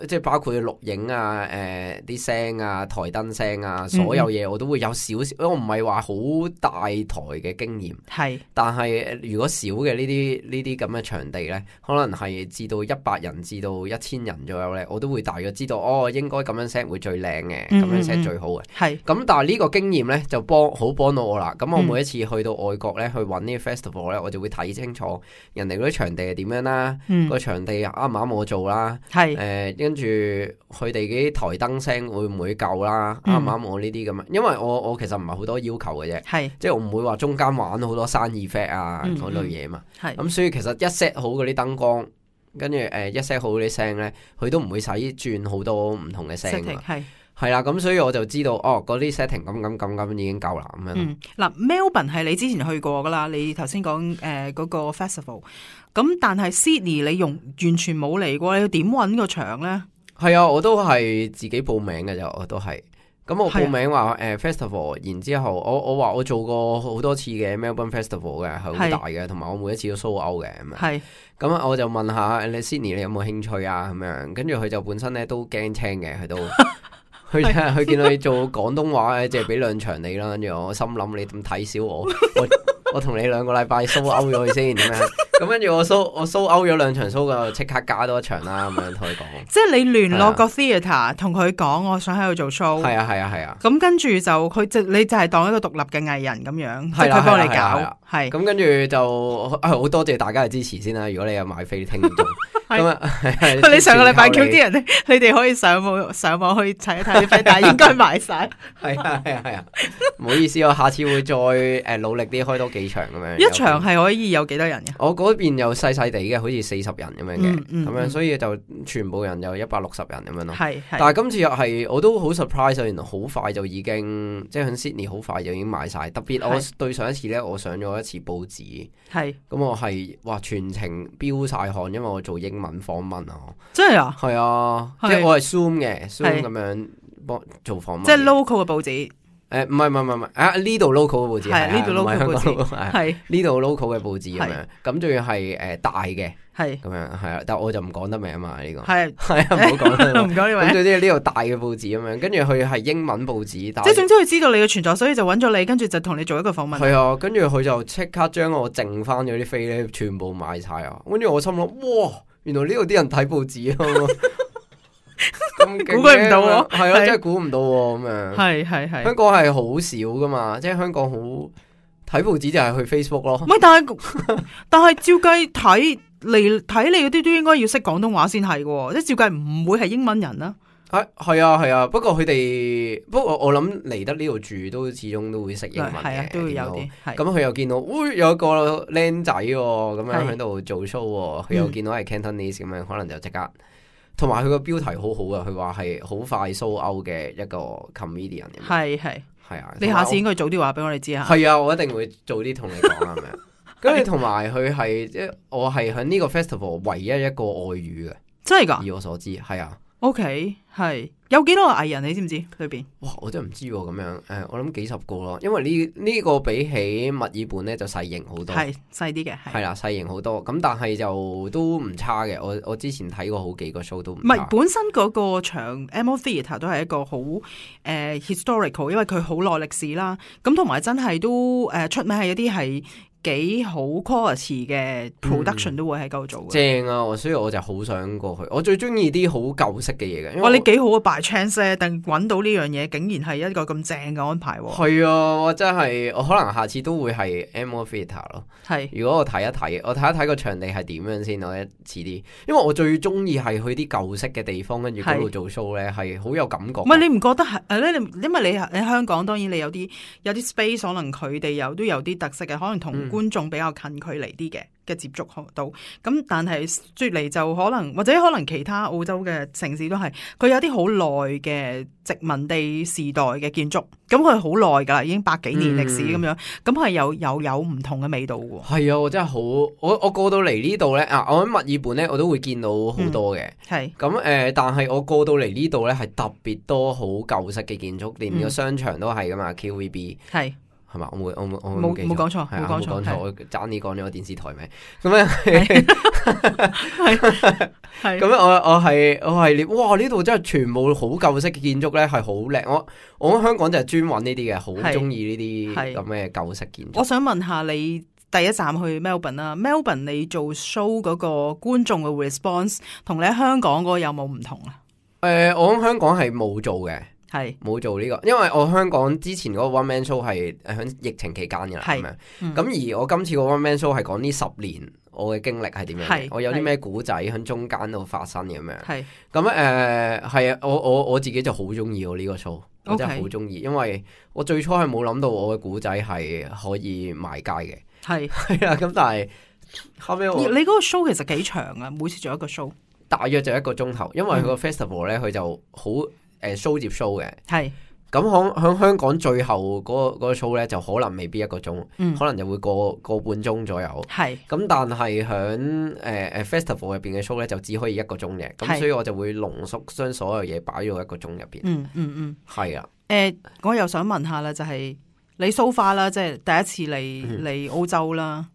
即係包括錄影啊、誒啲聲啊、台燈聲啊，所有嘢我都會有少少。我唔係話好大台嘅經驗，係，但係如果少嘅呢啲呢啲咁嘅場地咧，可能係至到一百人至到一千人左右咧，我都會大約知道哦，應該咁樣 set 會最靚嘅，咁樣 set 最好嘅。係。咁但係呢個經驗咧就幫好幫到我啦。咁我每一次去到外國咧，去揾呢個 festival 咧，我就會睇清楚人哋嗰啲場地係點樣啦，嗯、個場地啱唔啱我做啦，係誒跟住佢哋嗰啲台燈聲會唔會夠啦，啱唔啱我呢啲咁樣？因為我我其實唔係好多要求嘅啫，係即係我唔會話中間玩好多生 effect 啊嗰、嗯、類嘢嘛，係咁、嗯、所以其實一 set 好嗰啲燈光，跟住誒一 set 好嗰啲聲咧，佢都唔會使轉好多唔同嘅聲啊，係係啦，咁所以我就知道哦，嗰啲 setting 咁咁咁咁已經夠啦咁樣。嗯，嗱 Melbourne 係你之前去過噶啦，你頭先講誒嗰個 festival， 咁但係 Sydney 你用完全冇嚟過，你要點搵個場咧？係啊，我都係自己報名嘅啫，我都係。咁我報名話誒、呃、festival， 然之後我我話我做過好多次嘅 Melbourne Festival 嘅，係好大嘅，同埋我每一次都 sold out 嘅咁樣。係。咁我就問下你 Sydney 你有冇興趣啊？咁樣，跟住佢就本身咧都驚青嘅，佢都。佢佢見到你做廣東話咧，即係俾兩場你啦。跟住我心諗你咁睇小我，我我同你兩個禮拜 sold out 咗佢先點樣？咁跟住我 sold 我 sold out 咗兩場 show 嘅，即刻加多一場啦。咁樣同佢講，即係你聯絡個 theatre 同佢講，我想喺度做 show。係啊係啊係啊。咁跟住就佢就你就係當一個獨立嘅藝人咁樣，即係佢幫你搞。係。咁跟住就好多謝大家嘅支持先啦。如果你有買飛聽眾。咁啊！你上個禮拜叫啲人咧，你哋可以上網上網去睇一睇啲飛，但係應該賣晒。係啊係啊係啊！唔好意思，我下次會再誒努力啲開多幾場咁樣。一場係可以有幾多人嘅？我嗰邊又細細地嘅，好似四十人咁樣嘅，咁、嗯嗯、樣所以就全部人有一百六十人咁樣咯。係，但係今次又係我都好 surprise，原來好快就已經即係喺 Sydney 好快就已經賣晒。特別我對上一次咧，我上咗一次報紙，係咁我係哇全程飆晒汗，因為我做英文訪問啊，真係啊，係啊，即係我係 Zoom 嘅 Zoom 咁樣幫做訪問，即係 local 嘅報紙。誒，唔係唔係唔係啊！呢度 local 嘅報紙係呢度 local 嘅報紙係呢度 local 嘅報紙咁樣，咁仲要係誒大嘅係咁樣係啊，但我就唔講得名啊嘛呢個係係啊，唔好講啦，唔講呢位。咁總之呢度大嘅報紙咁樣，跟住佢係英文報紙，即係總之佢知道你嘅存在，所以就揾咗你，跟住就同你做一個訪問。係啊，跟住佢就即刻將我剩翻咗啲飛咧，全部買晒啊！跟住我心諗，哇，原來呢度啲人睇報紙啊！估佢唔到喎，係啊，真係估唔到喎，咁樣係係係。香港係好少噶嘛，即係香港好睇報紙就係去 Facebook 咯。唔係，但係但係照計睇嚟睇你嗰啲都應該要識廣東話先係嘅，即係照計唔會係英文人啦。係係啊係啊，不過佢哋不過我諗嚟得呢度住都始終都會識英文嘅，係啊，都會有啲。咁佢又見到，喂，有個僆仔咁樣喺度做 show，佢又見到係 Cantonese 咁樣，可能就即刻。同埋佢個標題好好啊，佢話係好快 sold out 嘅一個 comedian。係係係啊，你下次應該早啲話俾我哋知下。係啊，我一定會早啲同你講係咪啊？跟住同埋佢係即係我係喺呢個 festival 唯一一個外語嘅，真係噶？以我所知係啊。OK， 係有幾多個藝人你知唔知裏邊？哇，我真係唔知喎、啊，咁樣誒、呃，我諗幾十個咯，因為呢呢、呢個比起墨爾本咧就細型好多，係細啲嘅，係啦細型好多，咁但係就都唔差嘅。我我之前睇過好幾個 show 都唔差。唔係本身嗰個場 M O Theatre 都係一個好誒、呃、historical， 因為佢好耐歷史啦，咁同埋真係都誒、呃、出名係一啲係。幾好 quality 嘅 production 都會喺嗰度做嘅、嗯，正啊！所以我就好想過去。我最中意啲好舊式嘅嘢嘅。哇！你幾好啊 by chance 咧，但揾到呢樣嘢，竟然係一個咁正嘅安排喎。係啊，我真係我可能下次都會係 M O Theatre 咯。係，如果我睇一睇，我睇一睇個場地係點樣先，我一遲啲。因為我最中意係去啲舊式嘅地方，跟住嗰度做 show 咧，係好有感覺。唔係你唔覺得係誒咧？因為你喺香港，當然你有啲有啲 space，可能佢哋有都有啲特色嘅，可能同。嗯觀眾比較近距離啲嘅嘅接觸到，咁但係雪梨就可能或者可能其他澳洲嘅城市都係，佢有啲好耐嘅殖民地時代嘅建築，咁佢好耐㗎啦，已經百幾年歷史咁樣，咁係有有有唔同嘅味道喎。係啊，我真係好，我我過到嚟呢度咧啊，我喺墨爾本咧，我都會見到好多嘅。係咁誒，但係我過到嚟呢度咧，係特別多好舊式嘅建築，連個商場都係㗎嘛，Q V B 係。係嘛？我冇我冇我冇冇講錯，冇講錯，錯我爭啲講咗個電視台名。咁樣係係咁樣我我係我係哇！呢度真係全部好舊式嘅建築咧，係好靚。我我喺香港就係專揾呢啲嘅，好中意呢啲咁嘅舊式建築。我想問下你第一站去 Melbourne 啦 ，Melbourne 你做 show 嗰個觀眾嘅 response 同你喺香港嗰個有冇唔同啊？誒、呃，我喺香港係冇做嘅。係冇做呢、這個，因為我香港之前嗰個 one man show 係喺疫情期間嘅啦，咁樣。咁、嗯、而我今次個 one man show 係講呢十年我嘅經歷係點樣，我有啲咩古仔喺中間度發生嘅咁樣。係咁誒，係啊，我我我自己就好中意我呢個 show， 我真係好中意，因為我最初係冇諗到我嘅古仔係可以賣街嘅。係係啊，咁但係後尾我你嗰個 show 其實幾長啊？每次做一個 show， 大約就一個鐘頭，因為佢個 festival 咧，佢就好。誒 show 接 show 嘅，係咁響響香港最後嗰、嗰個嗰個 show 咧，就可能未必一個鐘，嗯、可能就會個個半鐘左右。係咁，但係響誒誒 festival 入邊嘅 show 咧，就只可以一個鐘嘅，咁所以我就會濃縮將所有嘢擺咗一個鐘入邊。嗯嗯嗯，係啊。誒、呃，我又想問下啦，就係、係、你 so far 啦，即係第一次嚟嚟、嗯、澳洲啦。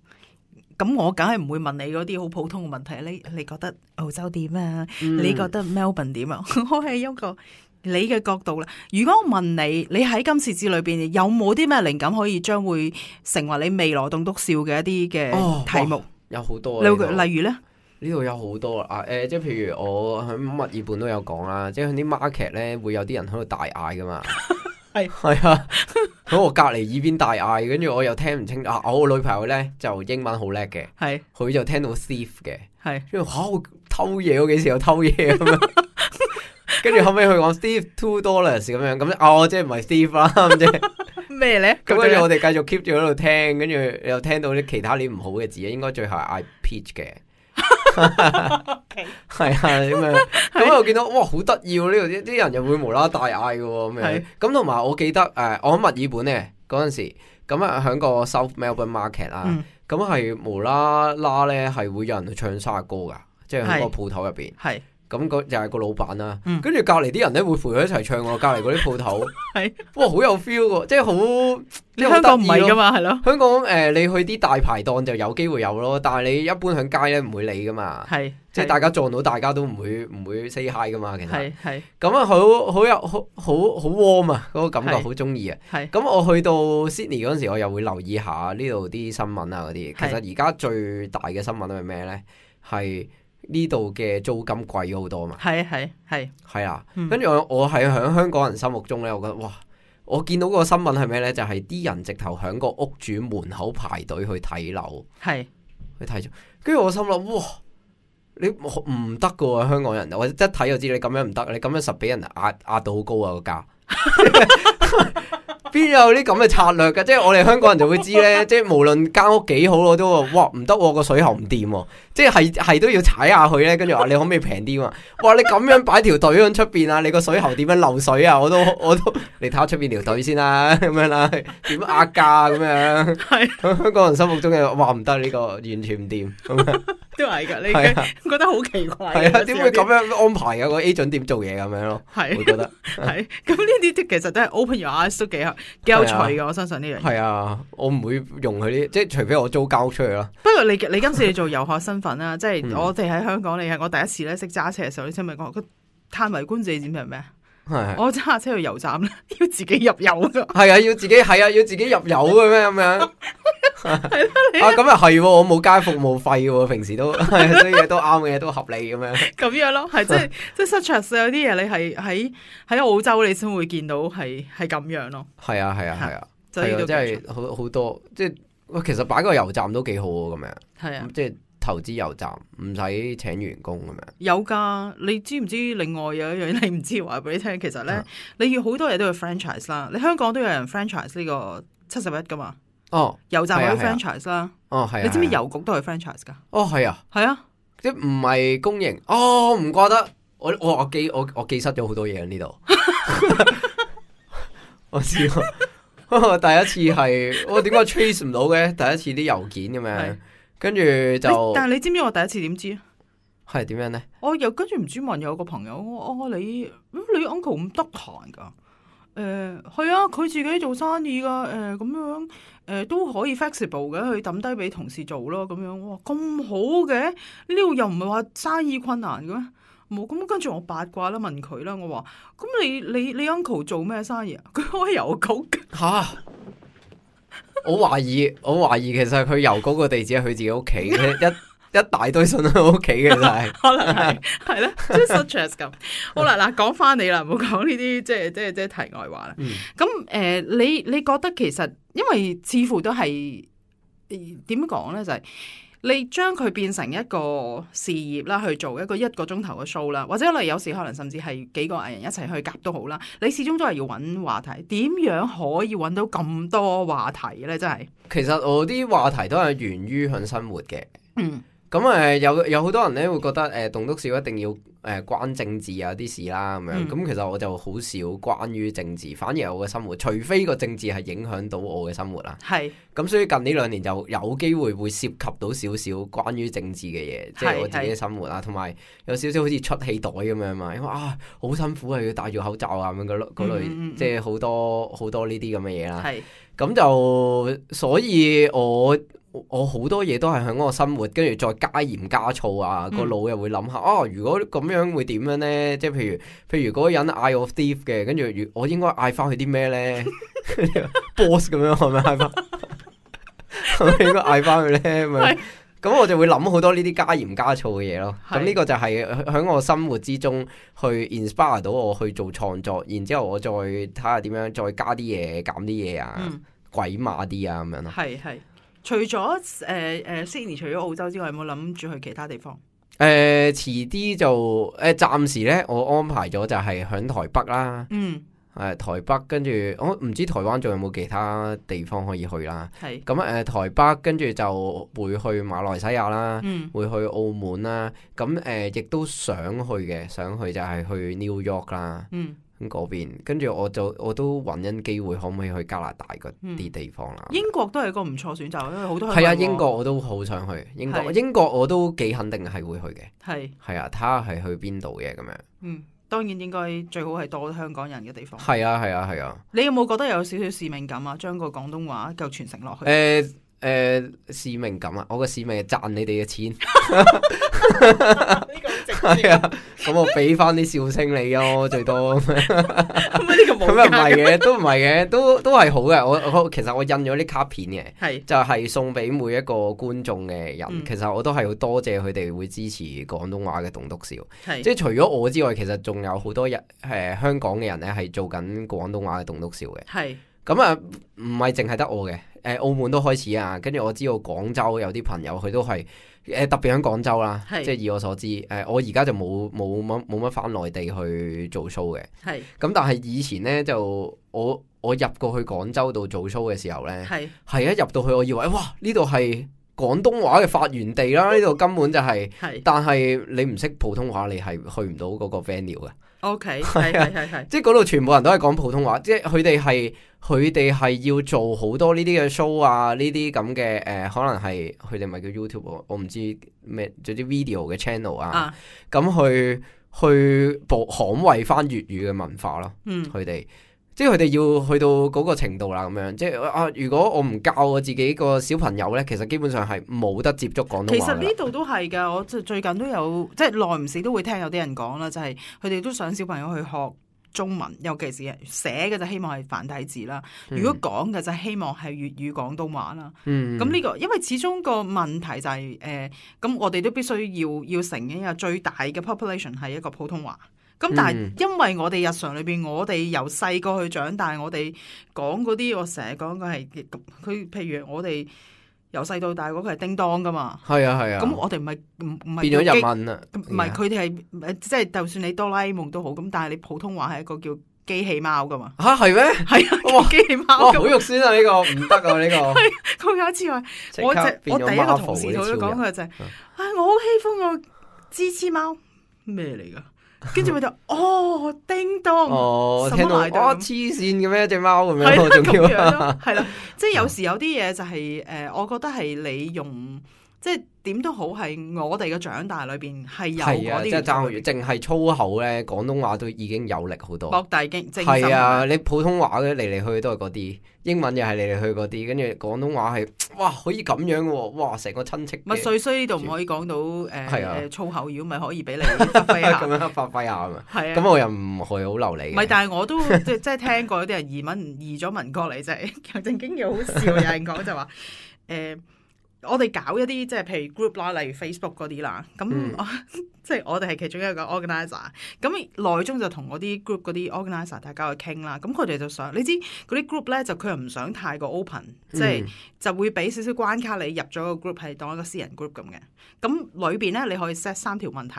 咁我梗係唔會問你嗰啲好普通嘅問題。你你覺得澳洲點啊？嗯、你覺得 Melbourne 點啊？我係一個。你嘅角度啦，如果我問你，你喺今次之裏邊有冇啲咩靈感可以將會成為你未來棟篤笑嘅一啲嘅題目？哦、有好多、啊，例如咧，呢度有好多啊！誒、呃，即係譬如我喺墨爾本都有講啦，即係喺啲 market 咧會有啲人喺度大嗌噶嘛，係係啊，喺我隔離耳邊大嗌，跟住我又聽唔清啊！我個女朋友咧就英文好叻嘅，係佢就聽到 thief 嘅，係跟住嚇偷嘢，我幾時有偷嘢咁樣？跟住後尾佢講 Steve two dollars 咁樣，咁哦即係唔係 Steve 啦，咁即係咩咧？咁跟住我哋繼續 keep 住喺度聽，跟住又聽到啲其他啲唔好嘅字，應該最後係嗌 peach 嘅，係啊咁樣。咁我見到哇好得意喎，呢度啲啲人又會無啦啦大嗌嘅咁樣。咁同埋我記得誒、呃，我喺墨爾本咧嗰陣時，咁啊喺個 South Melbourne Market 啦、嗯，咁係無啦啦咧係會有人去唱生日歌噶，即係喺個鋪頭入邊。係。咁嗰就係個老闆啦，跟住隔離啲人咧會陪佢一齊唱喎，隔離嗰啲鋪頭，係哇好有 feel 喎，即係好，即係香港唔係噶嘛，係咯。香港誒、呃，你去啲大排檔就有機會有咯，但係你一般喺街咧唔會理噶嘛，係即係大家撞到大家都唔會唔會 say hi 噶嘛，其實係係咁啊，好好有好好好 warm 啊，嗰個感覺好中意啊。係咁我去到 Sydney 嗰陣時，我又會留意下呢度啲新聞啊嗰啲。其實而家最大嘅新聞係咩咧？係呢度嘅租金貴咗好多嘛？係係係係啊！跟住、嗯、我我係喺香港人心目中咧，我覺得哇！我見到個新聞係咩咧？就係、是、啲人直頭喺個屋主門口排隊去睇樓，係去睇咗。跟住我心諗哇！你唔得噶喎，香港人，我一睇就知你咁樣唔得，你咁樣實俾人壓壓到好高啊個價。邊有啲咁嘅策略㗎？即係我哋香港人就會知咧，即係無論間屋幾好，我都話哇唔得，個水喉唔掂，即係係都要踩下去咧。跟住話你可唔可以平啲嘛？哇！你咁樣擺條隊喺出邊啊？你個水喉點樣漏水啊？我都我都你睇下出邊條隊先啦，咁樣啦，點壓價咁樣？係香港人心目中嘅話唔得，呢個完全唔掂咁樣。都係噶，你覺得好奇怪？係啊，點會咁樣安排嘅？個 agent 點做嘢咁樣咯？係，我覺得係。咁呢啲其實都係 open your eyes 都幾幾有趣嘅。我相信呢樣嘢。係啊，我唔會用佢啲，即係除非我租交出去咯。不過你你今次你做遊客身份啦，即係我哋喺香港，你係我第一次咧識揸車嘅時候，你知唔知講個嘆為觀止點係咩？我揸車去油站咧，要自己入油噶。係啊，要自己係啊，要自己入油嘅咩咁樣？係啊，咁又係，我冇加服務費嘅，平時都係，啲嘢都啱嘅，都合理咁樣。咁樣咯，係即係即係 such as 有啲嘢你係喺喺澳洲你先會見到係係咁樣咯。係啊係啊係啊，係啊，即係好好多，即係其實擺個油站都幾好咁樣。係啊，即係。投資油站唔使請員工咁樣，有噶。你知唔知另外有一樣你唔知話俾你聽？其實咧，嗯、你要好多嘢都要 franchise 啦。你香港都有人 franchise 呢個七十一噶嘛？哦，油站可以 franchise 啦。哦，係。你知唔知郵局都係 franchise 噶？哦，係啊，係啊，即係唔係公營。哦，唔怪得我我我記我我記失咗好多嘢喺呢度。我知道，第一次係我點解 trace 唔到嘅？第一次啲郵件咁樣。跟住就，但係你知唔知我第一次點知啊？係點樣咧？我又跟住唔知問有個朋友，我哦你你 uncle 咁得閒噶？誒係啊，佢自己做生意噶，誒咁樣誒都可以 flexible 嘅，佢抌低俾同事做咯，咁樣哇咁好嘅，呢度又唔係話生意困難嘅咩？冇咁，跟住我八卦啦，問佢啦，我話咁你你你 uncle 做咩生意啊？佢開郵局嚇。我懷疑，我懷疑其實佢郵局個地址係佢自己屋企嘅，一一大堆信喺屋企嘅就係，可能係係咧，即係 such as 咁。好啦，嗱，講翻你啦，唔好講呢啲即係即係即係題外話啦。咁誒、嗯呃，你你覺得其實因為似乎都係點講咧，就係、是。你將佢變成一個事業啦，去做一個一個鐘頭嘅 show 啦，或者你有時可能甚至係幾個藝人一齊去夾都好啦。你始終都係要揾話題，點樣可以揾到咁多話題呢？真係，其實我啲話題都係源於向生活嘅。嗯。咁誒、呃、有有好多人咧會覺得誒棟篤笑一定要誒、呃、關政治啊啲事啦咁樣，咁、嗯、其實我就好少關於政治，反而係我嘅生活，除非個政治係影響到我嘅生活啦。係是，咁所以近呢兩年就有機會會涉及到少少關於政治嘅嘢，即係我自己嘅生活啊，同埋有，有少少好似出氣袋咁樣嘛，因為啊好辛苦啊要戴住口罩啊咁樣嗰嗰類，嗯嗯、即係好多好多呢啲咁嘅嘢啦。係是，咁就所以我。我好多嘢都係喺我生活，跟住再加鹽加醋啊，個腦又會諗下，哦、啊，如果咁樣會點樣呢？即係譬如譬如嗰個人嗌我 thief 嘅，跟住我應該嗌翻佢啲咩呢？ boss 咁樣係咪嗌翻？係咪應該嗌翻佢咧？咁咁我就會諗好多呢啲加鹽加醋嘅嘢咯。咁呢是個就係喺我生活之中去 inspire 到我去做創作，然之後我再睇下點樣再加啲嘢減啲嘢啊，嗯、鬼馬啲啊咁樣咯。係係。除咗誒誒 Sydney 除咗澳洲之外，有冇諗住去其他地方？誒、呃，遲啲就誒，暫、呃、時咧，我安排咗就係響台北啦。嗯，誒、呃，台北跟住我唔知台灣仲有冇其他地方可以去啦。係咁誒，台北跟住就會去馬來西亞啦，嗯、會去澳門啦。咁誒、呃，亦都想去嘅，想去就係去 New York 啦。嗯。咁嗰邊，跟住我就我都揾緊機會，可唔可以去加拿大嗰啲地方啦、嗯？英國都係個唔錯選擇，因為好多係啊，英國我都好想去英國，是英國我都幾肯定係會去嘅。係係是啊，睇下係去邊度嘅咁樣。嗯，當然應該最好係多香港人嘅地方。係啊係啊係啊！啊你有冇覺得有少少使命感啊？將個廣東話夠傳承落去？誒誒、呃呃，使命感啊！我個使命係賺你哋嘅錢。係啊，咁我俾翻啲笑聲你咯，最多咁又唔係嘅，都唔係嘅，都都係好嘅。我我其實我印咗啲卡片嘅，係是就係送俾每一個觀眾嘅人。嗯、其實我都係好多謝佢哋會支持廣東話嘅棟篤笑，是即係除咗我之外，其實仲有好多人誒、呃、香港嘅人咧係做緊廣東話嘅棟篤笑嘅。係咁啊，唔係淨係得我嘅，誒、呃、澳門都開始啊，跟住我知道廣州有啲朋友佢都係。誒，特別喺廣州啦，是即係以我所知，誒、呃，我而家就冇冇乜冇乜返內地去做 show 嘅，係是，咁但係以前咧就我我入過去廣州度做 show 嘅時候咧，係係是一入到去，我以為哇呢度係廣東話嘅發源地啦，呢度根本就係、是，是但係你唔識普通話，你係去唔到嗰個 venue 嘅。O K， 係係係係，即係嗰度全部人都係講普通話，即係佢哋係佢哋係要做好多呢啲嘅 show 啊，呢啲咁嘅誒，可能係佢哋咪叫 YouTube，我唔知咩，做啲 video 嘅 channel 啊，咁、啊、去去保捍衛翻粵語嘅文化咯，嗯，佢哋。即係佢哋要去到嗰個程度啦，咁樣即係啊！如果我唔教我自己個小朋友咧，其實基本上係冇得接觸廣東話。其實呢度都係㗎，我最近都有即係耐唔時都會聽有啲人講啦，就係佢哋都想小朋友去學中文，尤其是寫嘅就希望係繁體字啦。如果講嘅就希望係粵語廣東話啦。嗯，咁呢個因為始終個問題就係、是、誒，咁、呃、我哋都必須要要承認啊，最大嘅 population 係一個普通話。咁但係因為我哋日常裏邊，我哋由細個去長大，我哋講嗰啲，我成日講嘅係佢，譬如我哋由細到大嗰個係叮當噶嘛。係啊係啊。咁、啊、我哋唔係唔唔係變咗日文啦。唔係佢哋係即係，就算你哆啦 A 夢都好，咁但係你普通話係一個叫機器貓噶嘛。吓係咩？係啊，機器貓。哇，好肉酸啊！呢、這個唔得啊！呢、這個。佢有一次話，我只我第一個同事同佢講佢就係、是，唉、哎，我好喜歡個芝芝貓，咩嚟噶？跟住佢就哦叮當哦，聽到哦黐線嘅咩隻貓咁樣，仲要係啦，即係有時有啲嘢就係、是、誒、呃，我覺得係你用即係點都好係我哋嘅長大裏邊係有嗰啲，即係爭淨係粗口咧，廣東話都已經有力好多。博大精精深。係啊，你普通話嘅嚟嚟去去都係嗰啲，英文又係嚟嚟去嗰啲，跟住廣東話係哇可以咁樣嘅喎，哇成個親戚。咪碎衰呢度唔可以講到誒誒、呃啊、粗口，如果咪可以俾你發揮下。咁樣發揮下啊嘛。係啊。咁我又唔係好流利嘅。唔係，但係我都即即係聽過有啲人移民移咗民過嚟，就係正經又好笑。有人講就話誒。呃我哋搞一啲即係譬如 group 啦，例如 Facebook 嗰啲啦，咁、嗯、即係我哋係其中一個 organizer，咁內中就同嗰啲 group 嗰啲 organizer 大家去傾啦，咁佢哋就想，你知嗰啲 group 咧就佢又唔想太過 open，、嗯、即係就會俾少少關卡你入咗個 group 係當一個私人 group 咁嘅，咁裏邊咧你可以 set 三條問題。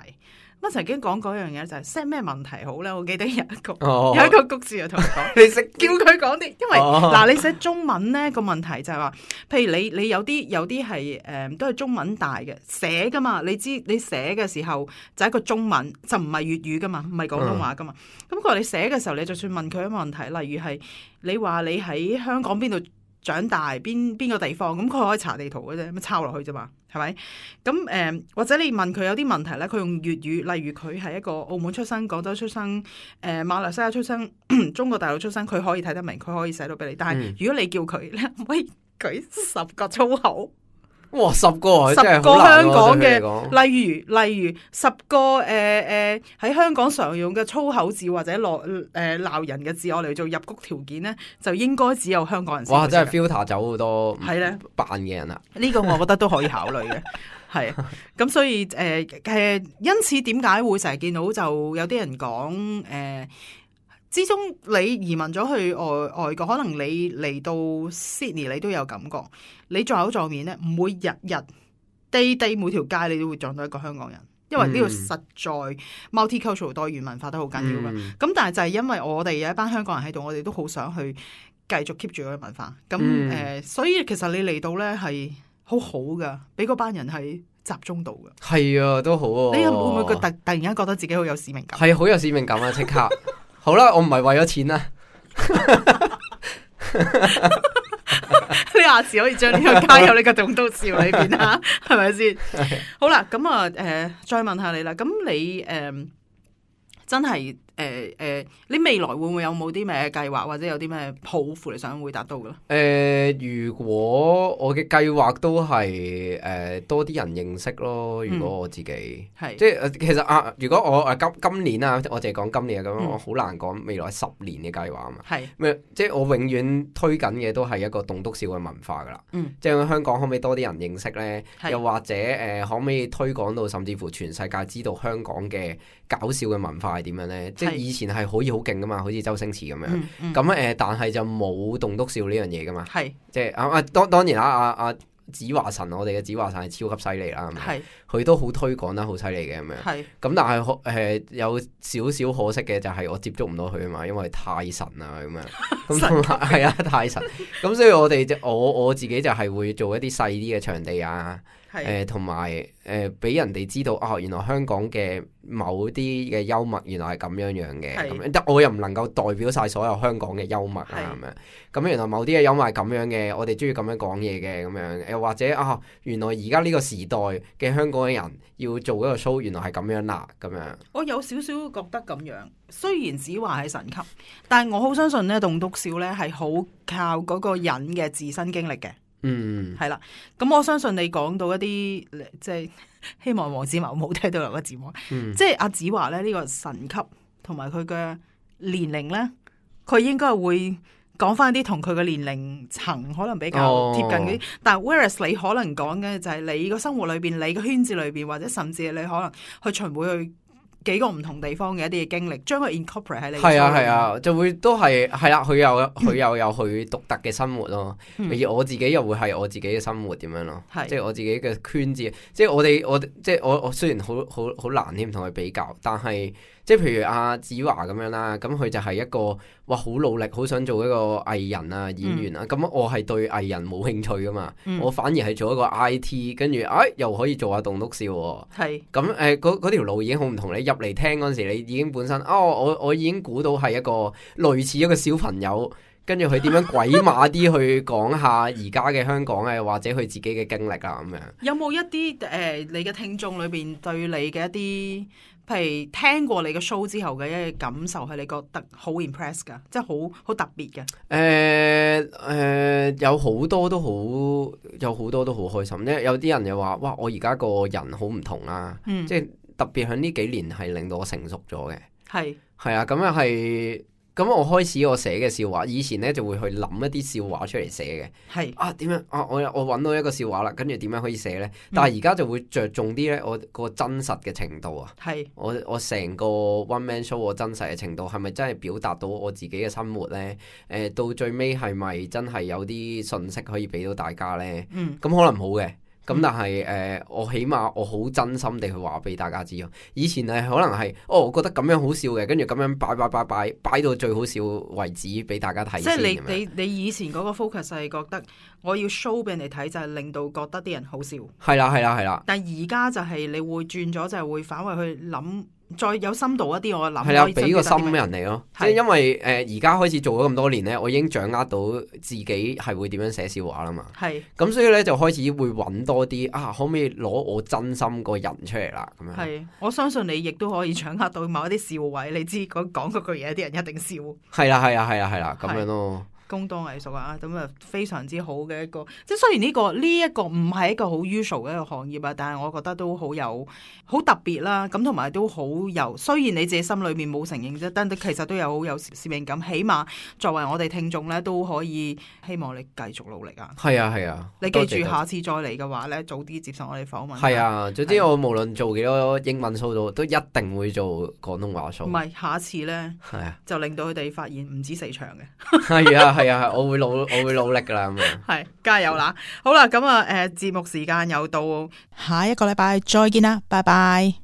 我曾經講嗰樣嘢就係 set 咩問題好咧？我記得有一個、哦、有一個局士就同我講，你識叫佢講啲，因為嗱、哦、你寫中文咧個問題就係話，譬如你你有啲有啲係誒都係中文大嘅寫噶嘛，你知你寫嘅時候就係一個中文，就唔係粵語噶嘛，唔係廣東話噶嘛。咁佢話你寫嘅時候，你就算問佢一個問題，例如係你話你喺香港邊度長大，邊邊個地方，咁佢可以查地圖嘅啫，咁抄落去啫嘛。係咪？咁誒、呃，或者你問佢有啲問題咧，佢用粵語，例如佢係一個澳門出生、廣州出生、誒、呃、馬來西亞出生、中國大陸出生，佢可以睇得明，佢可以寫到俾你。但係如果你叫佢，你可唔可以舉十個粗口？哇，十個十個香港嘅，例如例如十個誒誒喺香港常用嘅粗口字或者落誒鬧人嘅字，我嚟做入谷條件咧，就應該只有香港人先。哇！真係 filter 走好多係咧扮嘅人啊！呢個我覺得都可以考慮嘅，係咁所以誒誒、呃，因此點解會成日見到就有啲人講誒？呃之中你移民咗去外外國，可能你嚟到 Sydney 你都有感覺，你撞口撞面咧，唔會日日 day day 每條街你都會撞到一個香港人，因為呢度實在 multicultural 多元文化都好緊要嘅。咁、嗯、但係就係因為我哋有一班香港人喺度，我哋都好想去繼續 keep 住嗰個文化。咁誒、嗯呃，所以其實你嚟到咧係好好噶，俾嗰班人係集中到嘅。係啊，都好啊。你會唔會突突然間覺得自己好有使命感？係好有使命感啊！即刻。好啦，我唔係為咗錢啦，你下次可以將呢個加入你個棟篤笑裏邊啊，係咪先？好啦，咁啊，誒、呃，再問下你啦，咁你誒、呃、真係誒誒，你未來會唔會有冇啲咩計劃，或者有啲咩抱負你想會達到嘅咧？誒、呃，如果我嘅計劃都係誒、呃、多啲人認識咯。如果我自己係、嗯、即係其實啊，如果我誒今今年啊，我淨係講今年咁樣，嗯、我好難講未來十年嘅計劃啊嘛。係咩？即係我永遠推緊嘅都係一個棟篤笑嘅文化噶啦。嗯、即係香港可唔可以多啲人認識咧？又或者誒、呃，可唔可以推廣到甚至乎全世界知道香港嘅搞笑嘅文化係點樣咧？即係以前係可以好勁噶嘛，好似周星馳咁樣。咁誒、嗯嗯呃，但係就冇棟篤笑呢樣嘢噶嘛。係即係啊啊，當當然啦，阿阿子華神，我哋嘅子華神係超級犀利啦。係佢都好推廣得好犀利嘅咁樣。係咁，但係誒、呃、有少少可惜嘅就係我接觸唔到佢啊嘛，因為太神啦咁樣。咁係啊，太神。咁所以我哋我我自己就係會做一啲細啲嘅場地啊。誒同埋誒俾人哋知道啊、哦，原來香港嘅某啲嘅幽默原來係咁樣樣嘅，咁樣但我又唔能夠代表晒所有香港嘅幽默啊咁樣。咁原來某啲嘅幽默係咁樣嘅，我哋中意咁樣講嘢嘅咁樣。又或者啊，原來而家呢個時代嘅香港嘅人要做嗰個 show，原來係咁樣啦咁樣。我有少少覺得咁樣，雖然子華係神級，但係我好相信咧，棟篤笑咧係好靠嗰個人嘅自身經歷嘅。嗯，係啦，咁我相信你講到一啲，即係希望黃子華冇聽到兩個字幕，嗯、即係阿子華咧呢個神級，同埋佢嘅年齡咧，佢應該係會講翻啲同佢嘅年齡層可能比較貼近嗰啲，哦、但係 whereas 你可能講嘅就係你個生活裏邊，你個圈子裏邊，或者甚至你可能去巡迴去幾個唔同地方嘅一啲嘅經歷，將佢 incorporate 喺你。係啊係啊，就會都係係啦，佢又佢又有佢獨特嘅生活咯。而、嗯、我自己又會係我自己嘅生活點樣咯，是即係我自己嘅圈子。即係我哋我即係我我雖然好好好難添同佢比較，但係即係譬如阿子華咁樣啦，咁佢就係一個哇好努力，好想做一個藝人啊演員啊。咁、嗯、我係對藝人冇興趣噶嘛，嗯、我反而係做一個 I T， 跟住哎又可以做下棟篤笑喎。係咁誒，嗰嗰條路已經好唔同。你入嚟聽嗰陣時，你已經本身哦，我我已經估到係一個類似一個小朋友跟住佢點樣鬼馬啲去講下而家嘅香港嘅，或者佢自己嘅經歷啊咁樣。有冇一啲誒、呃、你嘅聽眾裏邊對你嘅一啲，譬如聽過你嘅 show 之後嘅一啲感受，係你覺得好 impress 噶，即係好好特別嘅？誒誒、呃呃，有好多都好，有好多都好開心。因為有啲人又話：哇！我而家個人好唔同啦，嗯、即係特別喺呢幾年係令到我成熟咗嘅。係係啊，咁又係。咁我開始我寫嘅笑話，以前咧就會去諗一啲笑話出嚟寫嘅。係是啊，點樣啊？我我揾到一個笑話啦，跟住點樣可以寫咧？但係而家就會着重啲咧，我個真實嘅程度啊。係是我我成個 one man show 個真實嘅程度係咪真係表達到我自己嘅生活咧？誒、呃，到最尾係咪真係有啲信息可以俾到大家咧？嗯，咁可能冇嘅。咁但係誒、呃，我起碼我好真心地去話俾大家知咯。以前係可能係，哦，我覺得咁樣好笑嘅，跟住咁樣擺擺擺擺擺到最好笑為止俾大家睇。即係你你你以前嗰個 focus 係覺得我要 show 俾人哋睇，就係令到覺得啲人好笑。係啦係啦係啦。但係而家就係你會轉咗，就係會反為去諗。再有深度一啲，我諗係啦，俾個心人嚟咯。即係因為誒而家開始做咗咁多年咧，我已經掌握到自己係會點樣寫笑話啦嘛。係咁是，所以咧就開始會揾多啲啊，可唔可以攞我真心個人出嚟啦？咁樣係，我相信你亦都可以掌握到某一啲笑位。你知講講嗰句嘢，啲人一定笑。係啦，係啦，係啦，係啦，咁樣咯。工多藝熟啊，咁啊非常之好嘅一個，即係雖然呢、呢個呢一、呢個唔係一個好 usual 嘅一個行業啊，但係我覺得都好有好特別啦。咁同埋都好有，雖然你自己心裏面冇承認啫，但係其實都有好有使命感。起碼作為我哋聽眾咧，都可以希望你繼續努力啊。係啊係啊，你記住下次再嚟嘅話咧，早啲接受我哋訪問。係啊，總之我無論做幾多英文 show 都都一定會做廣東話 show。唔係下次咧，係啊，就令到佢哋發現唔止四場嘅。係啊。係啊，我會努我會努力噶啦咁樣。係，加油啦！好啦，咁啊，誒，節目時間又到，下一個禮拜再見啦，拜拜。